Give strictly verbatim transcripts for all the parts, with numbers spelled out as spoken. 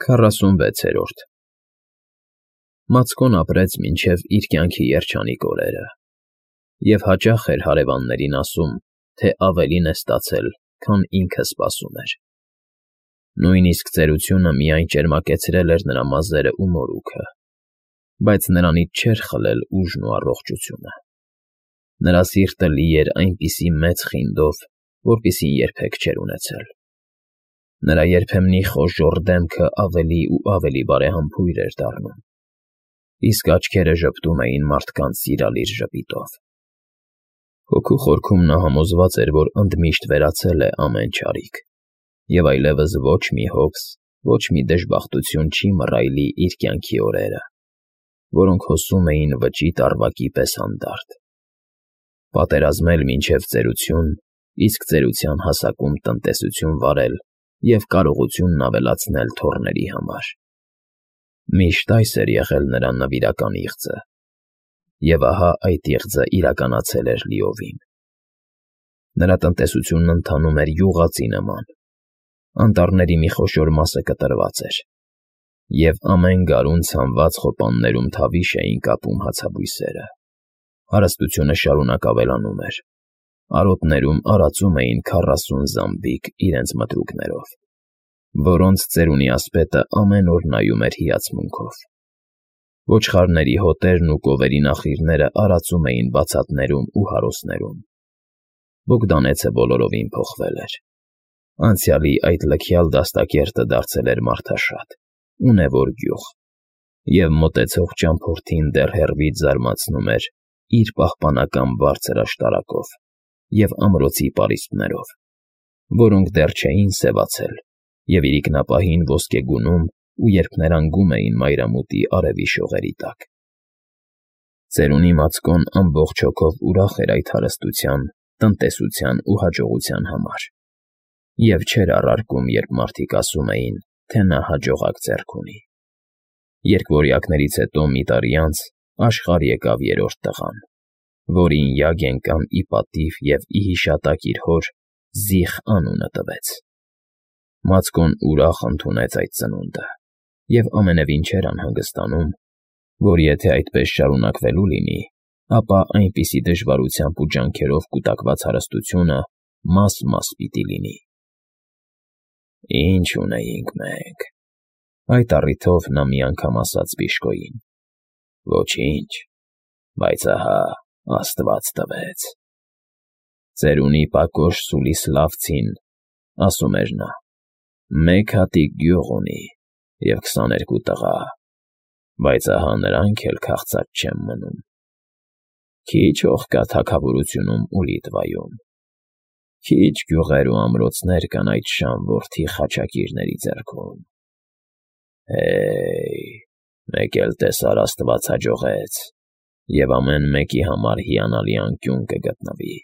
Քառասունվեցերորդ Մացկոն ապրեց մինչև իր կյանքի երջանիկ օրերը և հաճախ էր հարևաններին ասում, թե ավելին է ստացել, քան ինքը սպասում էր. նույնիսկ ծերությունը միայն ճերմակեցրել էր նրա մազերն ու մորուքը, բայց նրանից չէր խլել ուժն ու առողջությունը. նրա սիրտը լի էր այնպիսի մեծ խինդով, որպիսին երբեք չէր ունեցել. նրա երբեմնի խոժոռ դեմքը ավելի ու ավելի բարեհամբույր էր դառնում, իսկ աչքերը ժպտում էին մարդկանց սիրալիր ժպիտով. հոգու խորքում նա համոզված էր, որ ընդմիշտ վերացել է ամեն չարիք, և այլևս ոչ մի հոգս, ոչ մի դժբախտություն չի մռայլի իր կյանքի օրերը, որոնք հոսում էին վճիտ առվակի պես հանդարտ. պատերազմել մինչև ծերություն, իսկ ծերության հասակում տնտեսություն վարել և կարողությունն ավելացնել թոռների համար. միշտ այս էր եղել նրա նվիրական իղձը, և ահա այդ իղձը իրականացել էր լիովին. նրա տնտեսությունն ընթանում էր յուղածի նման, անտառների մի խոշոր մասը կտրված էր, և ամեն գարուն ցանված խոպաններում թավիշ էին կապում հացաբույսերը, հարստությունը շարունակ ավելանում էր, արոտներում արածում էին քառասուն զամբիկ իրենց մտրուկներով, որոնց ծերունի ասպետը ամեն օր նայում էր հիացմունքով. ոչխարների հոտերն ու կովերի նախիրները արածում էին բացատներում ու հարոսներում. Բոգդանեցը բոլորովին փոխվել էր. անցյալի այդ լքյալ դաստակերտը դարձել էր մարդաշատ, ունևոր գյուղ, և մոտեցող ճամփորդին դեռ հեռվից զարմացնում էր իր պահպանական բարձր աշտարակով և ամրոցի պարիսպներով, որոնք դեռ չէին սևացել և իրիկնապահին ոսկեգունում ու երփներանգում էին մայրամուտի արևի շողերի տակ. ծերունի Մացկոն ամբողջ հոգով ուրախ էր այդ հարստության, տնտեսության ու հաջողության համար և չէր առարկում, երբ մարդիկ ասում էին, թե նա հաջողակ ձեռք ունի. Երկվորյակներից հետո մի տարի անց աշխարհ եկավ երրորդ տղան, որին Յագեն կամ ի պատիվ և ի հիշատակ իր հոր Զիխ անունը տվեց. Մացկոն ուրախ ընդունեց այդ ծնունդը և ամենևին չէր անհանգստանում, որ եթե այդպես շարունակվելու լինի, ապա այնպիսի դժվարությամբ ու ջանքերով կուտակված հարստությունը մաս֊մաս պիտի լինի. «Ի՞նչ ունեինք մենք», այդ առիթով նա մի անգամ ասաց բժշկուհին. «Ոչինչ, բայց ահա Աստված տվեց»։ «Ծերունի պակոշ Սուլիսլավցին, ասում էր նա, մեկ հատիկ գյուղ ունի և քսաներկու տղա, բայց ահա նրանք էլ քաղցած չեն մնում. քիչ հող կա թագավորությունում ու Լիտվայում, քիչ գյուղեր ու ամրոցներ կան այդ շան որդի խաչակիրների ձեռքում։ Հե՜յ, մեկ էլ տեսար Աստված հաջողեց, և ամեն մեկի համար հիանալի անկյուն կգտնվի,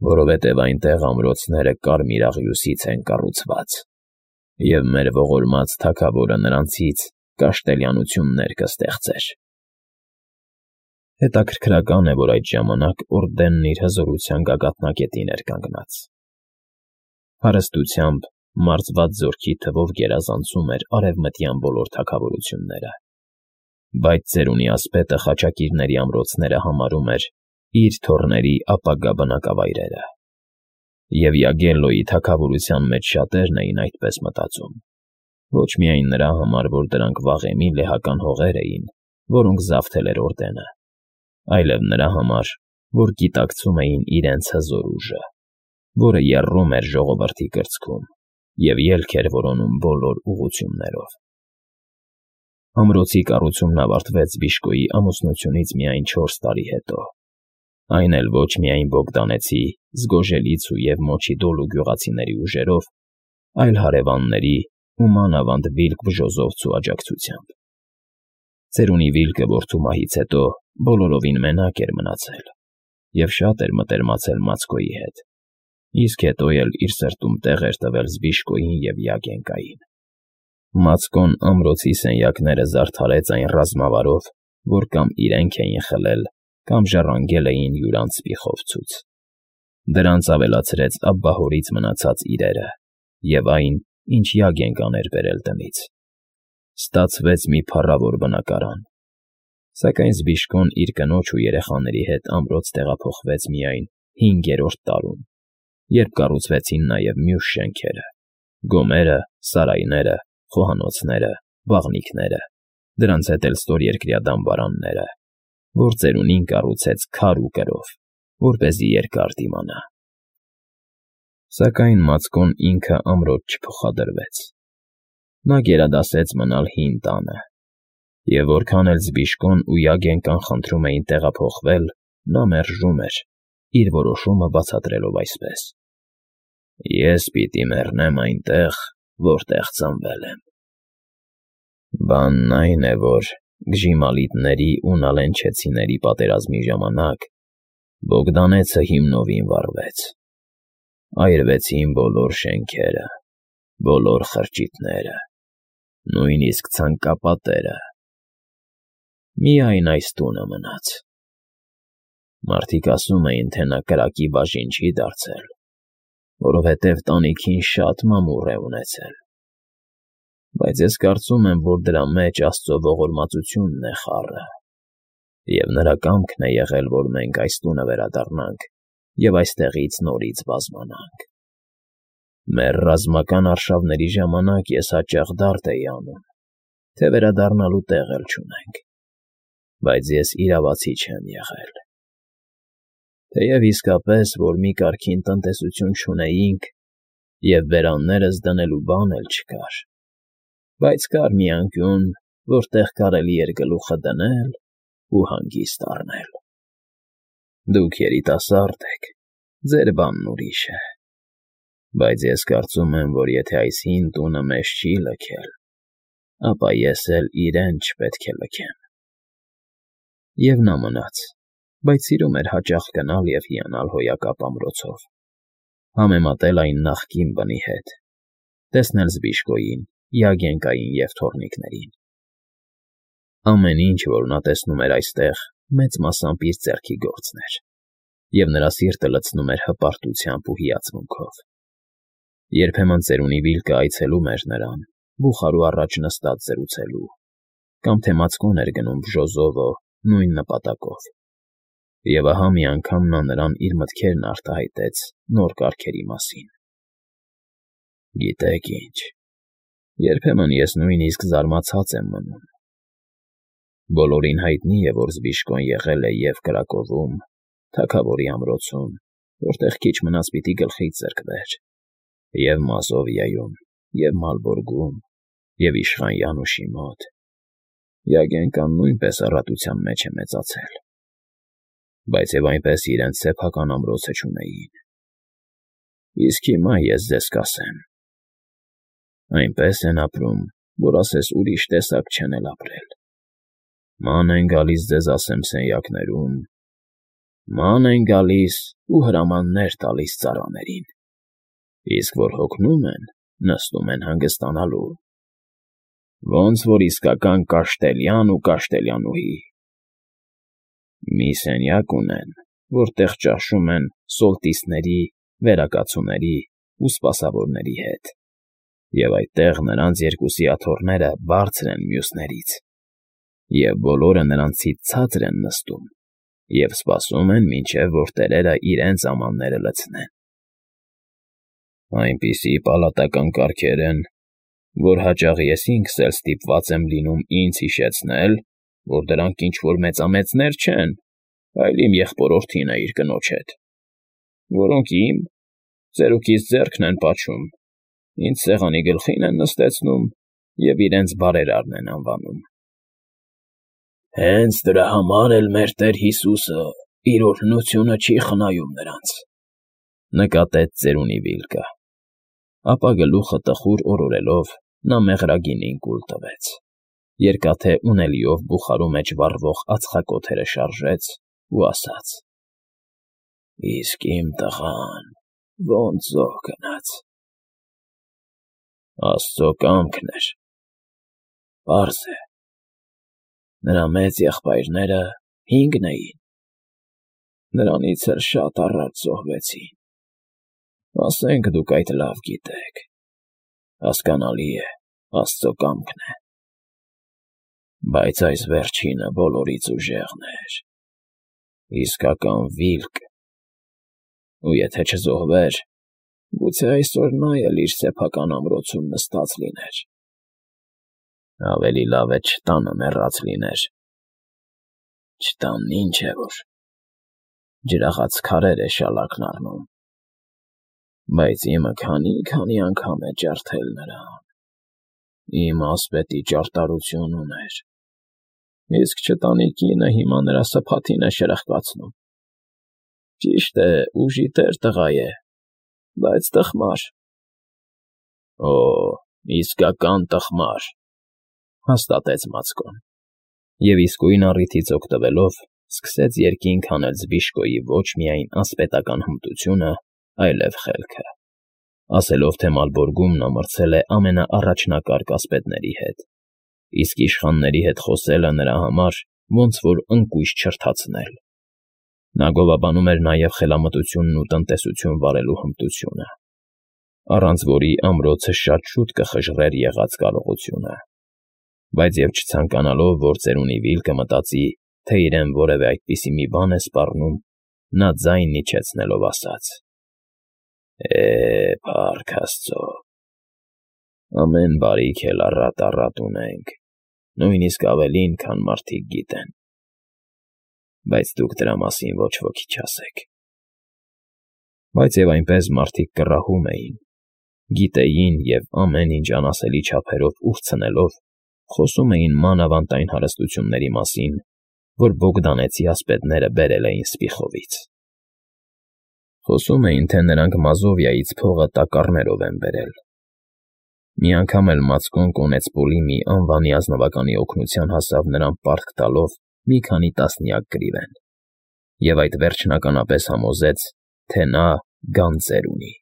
որովհետև այնտեղ ամրոցները կարմիր աղյուսից են կառուցված, և մեր ողորմած թագավորը նրանցից կաշտելյանություններ կստեղծեր»։ Հետաքրքրական է, որ այդ ժամանակ Օրդենն իր հզորության գագաթնակետին էր կանգնած. հարստությամբ, մարզված զորքի թվով գերազանցում էր արևմտյան բոլոր թագավորությունները, բայց ծերունի ասպետը խաչակիրների ամրոցները համարում էր իր թոռների ապագա բնակավայրերը, և Յագելլոյի թագավորության մեջ շատերն էին այդպես մտածում, ոչ միայն նրա համար, որ դրանք վաղեմի լեհական հողեր էին, որոնք զավթել էր Օրդենը, այլև նրա համար, որ գիտակցում էին իրենց հզոր ուժը, որը եռում էր ժողովրդի կրծքում և ելք էր որոնում բոլոր ուղղություններով։ Ամրոցի կառուցումն ավարտվեց բժշկուհի ամուսնությունից միայն չորս տարի հետո, այն էլ ոչ միայն Բոգդանեցի, Զգոժելիցու և Մոչիդոլու գյուղացիների ուժերով, այլ հարևանների ու մանավանդ Վիլք Բժոզովցու աջակցությամբ։ Ծերունի Վիլկը որդու մահից հետո բոլորովին մենակ էր մնացել և շատ էր մտերմացել Մացկոյի հետ, իսկ հետո էլ իր սրտում տեղ էր տվել Զբիշկոյին և Յագենկային։ Մացկոն ամրոցի սենյակները զարդարեց այն ռազմավարով, որ կամ իրենք էին խլել, կամ ժառանգել էին յուրաքանչյուր սպիխովցուց։ Դրանց ավելացրեց աբբահորից մնացած իրերը և այն, ինչ Յագենկան էր բերել տնից։ Ստացվեց մի փառավոր բնակարան, սակայն Զբիշկոն իր կնոջ ու երեխաների հետ ամրոց տեղափոխվեց միայն հինգերորդ տարում, երբ կառուցվեցին նաև մյուս շենքերը՝ գոմերը, սարայները, խոհանոցները, բաղնիքները, դրանց հետ էլ ստորերկրյա դամբարանները, որ ծերունին կառուցեց քար ու կրով, որպեսզի երկար դիմանա։ Սակայն Մացկոն ինքը ամրոց չփոխադրվեց։ Նա գերադասեց մնալ հին տանը, և որքան էլ Զբիշկոն ու Յագենկան խնդրում էին տեղափոխվել, նա մերժում էր, իր որոշումը բացատրելով այսպես. «Ես պիտի մեռնեմ այնտեղ, որտեղ ծնվել եմ»։ Բանն այն է, որ Գժիմալիտների ու Նալենչեցիների պատերազմի ժամանակ Բոգդանեցը հիմնովին վառվեց, այրվեցին բոլոր շենքերը, բոլոր խրճիթները, նույնիսկ ցանկապատերը, միայն այս տունը մնաց։ Մարդիկ ասում էին, թե նա կրակի բաժին չի դարձել, որովհետև տանիքին շատ մամուռ է ունեցել, բայց ես կարծում եմ, որ դրա մեջ Աստծո ողորմածությունն է խառը, և նրա կամքն է եղել, որ մենք այս տունը վերադառնանք և այստեղից նորից բազմանանք։ Մեր ռազմական արշավների ժամանակ ես հաճախ դարդ էի անում, թե վերադառնալու տեղ էլ չունենք, բայց ես իրավացի չեմ եղել։ Թեև իսկապես, որ մի կարգին տնտեսություն չունեինք և բերաններս դնելու բան էլ չկար, բայց կար մի անկյուն, որտեղ կարելի էր գլուխը դնել ու հանգիստ առնել։ Դուք երիտասարդ եք, ձեր բանն ուրիշ է, բայց ես կարծում եմ, որ եթե այս հին տունը մեզ չի լքել, ապա ես էլ իրեն չպետք է լքեմ։ Եվ նա մնաց, բայց սիրում էր հաճախ գնալ և հիանալ հոյակապ ամրոցով, համեմատել այն նախկին բնի հետ, տեսնել Զբիշկոյին, Յագենկային և թոռնիկներին։ Ամեն ինչ, որ նա տեսնում էր այստեղ, մեծ մասամբ իր ձեռքի գործն էր, և նրա սիրտը լցնում էր հպարտությամբ ու հիացմունքով։ Երբեմն ծերունի Վիլկը այցելում էր նրան, բուխարու առաջ նստած զրուցելու, կամ թե Մացկոն էր գնում Բժոզովո նույն նպատակով, և ահա մի անգամ նա նրան իր մտքերն արտահայտեց նոր կարգերի մասին։ «Գիտեք ինչ, երբեմն ես նույնիսկ զարմացած եմ մնում։ Բոլորին հայտնի է, որ Զբիշկոն եղել է և Կրակովում, թագավորի ամրոցում, որտեղ քիչ մնաց պիտի գլխից զրկվեր, և Մազովիայում, և Մալբորգում, և իշխան Յանուշի մոտ։ Յագենկան նույնպես առատության մեջ է մեծացել, բայց և այնպես իրենց սեփական ամրոցը չունեին։ Իսկ հիմա ես ձեզ կասեմ. այնպես են ապրում, որ ասես ուրիշ տեսակ չեն էլ ապրել։ Ման են գալիս ձեզ ասեմ սենյակներում, ման են գալիս ու հրամաններ տալիս ծառաներին, իսկ որ հոգնում են, նստում են հանգստանալու, ոնց որ իսկական Կաշտելյան ու Կաշտելյանուհի։ Մի սենյակ ունեն, որտեղ ճաշում են սոլտիսների, վերակացուների ու սպասավորների հետ, և այդտեղ նրանց երկուսի աթոռները բարձր են մյուսներից, և բոլորը նրանցից ցածր են նստում և սպասում են, մինչև որ տերերը իրենց ամանները լցնեն։ Այնպիսի պալատական կարգեր են, որ հաճախ ես ինքս էլ ստիպված եմ լինում ինձ հիշեցնել, որ դրանք ինչ֊որ մեծամեծներ չեն, այլ իմ եղբորորդին է իր կնոջ հետ, որոնք իմ, ծերուկիս ձեռքն են պաչում, ինձ սեղանի գլխին են նստեցնում և իրենց բարերարն են անվանում։ Հենց դրա համար էլ մեր Տեր Հիսուսը իր օրհնությունը չի խնայում նրանց, նկատեց ծերունի Վիլկը, ապա գլուխը տխուր օրորելով նա մեղրագինին կուլ տվեց, երկաթե ունելիով բուխարու մեջ վառվող ածխակոթերը շարժեց ու ասաց. «Իսկ իմ տղան ոնց զոհ գնաց»։ Աստծո կամքն էր։ Պարզ է, նրա մեծ եղբայրները հինգն էին, նրանից էլ շատ առաջ զոհվեցին, ասենք դուք այդ լավ գիտեք։ Հասկանալի է, Աստծո կամքն է։ Բայց այս վերջինը բոլորից ուժեղն էր, իսկական վիլկ, ու եթե չզոհվեր, գուցե այսօր նա էլ իր սեփական ամրոցում նստած լիներ։ Ավելի լավ է չտանը մեռած լիներ։ Չտանն ինչ է որ, ջրաղաց քարեր է շալակն առնում, բայց իմը քանի՜֊քանի անգամ է ջարդել նրան, իմ ասպետի ճարտարություն ուներ, իսկ չտանի կինը հիմա նրա սփաթին է շրխկացնում։ Ճիշտ է, ուժի տեր տղա է, բայց տխմար։ Օ, իսկական տխմար, հաստատեց Մացկոն, և իսկույն առիթից օգտվելով սկսեց երկինք հանել Զբիշկոյի ոչ միայն ասպետական հմտությունը, այլև խելքը, ասելով, թե Մալբորգում նա մրցել է ամենաառաջնակարգ ասպետների հետ, իսկ իշխանների հետ խոսելը նրա համար ոնց որ ընկույզ չրթացնել։ Նա գովաբանում էր նաև խելամտությունն ու տնտեսություն վարելու հմտությունը, առանց որի ամրոցը շատ շուտ կխժռեր եղած կարողությունը, բայց և չցանկանալով, որ ծերունի Վիլկը մտածի, թե իրեն որևէ այդպիսի մի բան է սպառնում, նա ձայն իջեցնելով ասաց. «Է, փառք Աստծո, ամեն բարիք էլ առատ֊առատ ունենք, նույնիսկ ավելին, քան մարդիկ գիտեն, բայց դուք դրա մասին ոչ ոքի չասեք»։ Բայց և այնպես մարդիկ կռահում էին, գիտեին և ամեն ինչ անասելի չափերով ուրցնելով, խոսում էին մանավանդ այն հարստությունների մասին, որ բոգդանեցի ասպետները բերել էին Սպիխովից։ Խոսում էին, թե նրանք Մազովիայից փողը տակառներով են բերել։ Մի անգամ էլ Մացկոն կոնետսպոլի մի անվանի ազնվականի օգնության հասավ նրան պարտք տալով մի քանի տասնյակ գրիվեն, և այդ վերջնականապես համոզեց, թե նա գանձեր ունի։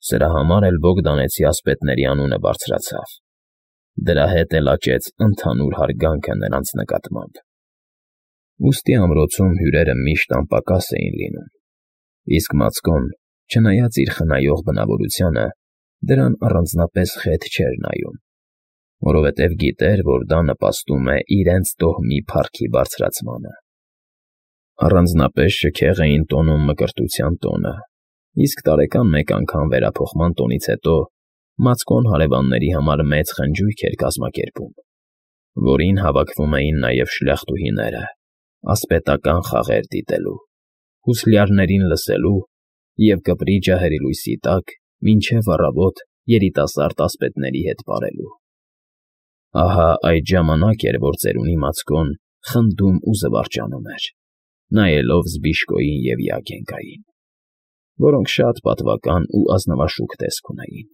Սրա համար էլ բոգդանեցի ասպետների անունը բարձրացավ, դրա հետ էլ աճեց ընդհանուր հարգանքը նրանց նկատմամբ։ Ուստի ամրոցում հյուրերը միշտ անպակաս էին լինում, իսկ Մացկոն, չնայած իր խնայող բնավորությանը, դրան առանձնապես խեթ չէր նայում, որովհետև գիտեր, որ դա նպաստում է իրենց տոհմի փառքի բարձրացմանը։ Առանձնապես շքեղ էին տոնում Մկրտության տոնը, իսկ տարեկան մեկ անգամ վերափոխման տոնից հետո Մացկոն հարևանների համար մեծ խնջույք էր կազմակերպում, որին հավաքվում էին նաև շլյախտուհիները, ասպետական խաղեր դիտելու, հուսլյարներին լսելու և կպրի ջահերի լույսի տակ մինչև առավոտ երիտասարդ ասպետների հետ պարելու։ Ահա այդ ժամանակ էր, որ ծերունի Մացկոն խնդում ու զվարճանում էր, նայելով Զբիշկոյին և Յագենկային, որոնք շատ պատվական ու ազնվաշուք տեսք ունեին։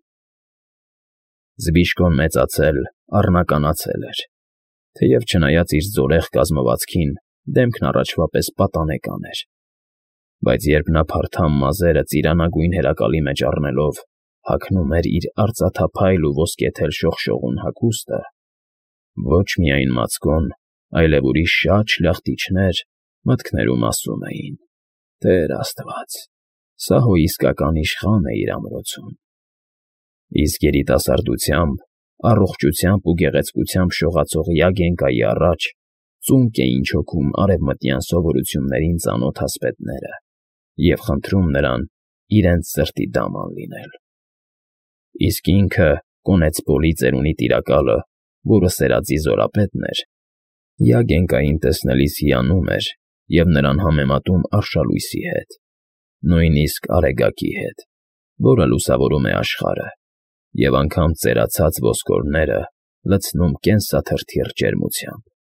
Զբիշկոն մեծացել, առնականացել էր, թեև չնայած իր զորեղ կազմվածքին, դեմքն առաջվա պես պատանեկան էր, բայց երբ նա փարթամ մազերը ծիրանագույն հերակալի մեջ առնելով հագնում էր իր արծաթափայլ ու ոսկեթել շողշողուն հագուստը, ոչ միայն Մացկոն, այլև ուրիշ շատ շլախտիչներ մտքներում ասում էին. «Տեր Աստված, սա հո իսկական իշխան է իր ամրոցում»։ Իսկ երիտասարդությամբ, առողջությամբ ու գեղեցկությամբ շողացող Յագենկայի առաջ ծունկ էին չոքում արևմտյան սովորություններին ծանոթ ասպետները և խնդրում նրան իրենց սրտի դաման լինել։ Իսկ ինքը, կոնետսպոլի ծերունի տիրակալը, որը սերածի զորապետն էր, Յագենկային տեսնելիս հիանում էր և նրան համեմատում արշալույսի հետ, նույնիսկ Արեգակի հետ, որը լուսավորում է աշխարհը և անգամ ծերացած ոսկորները լցնում կենսաթրթիռ ջերմությամբ։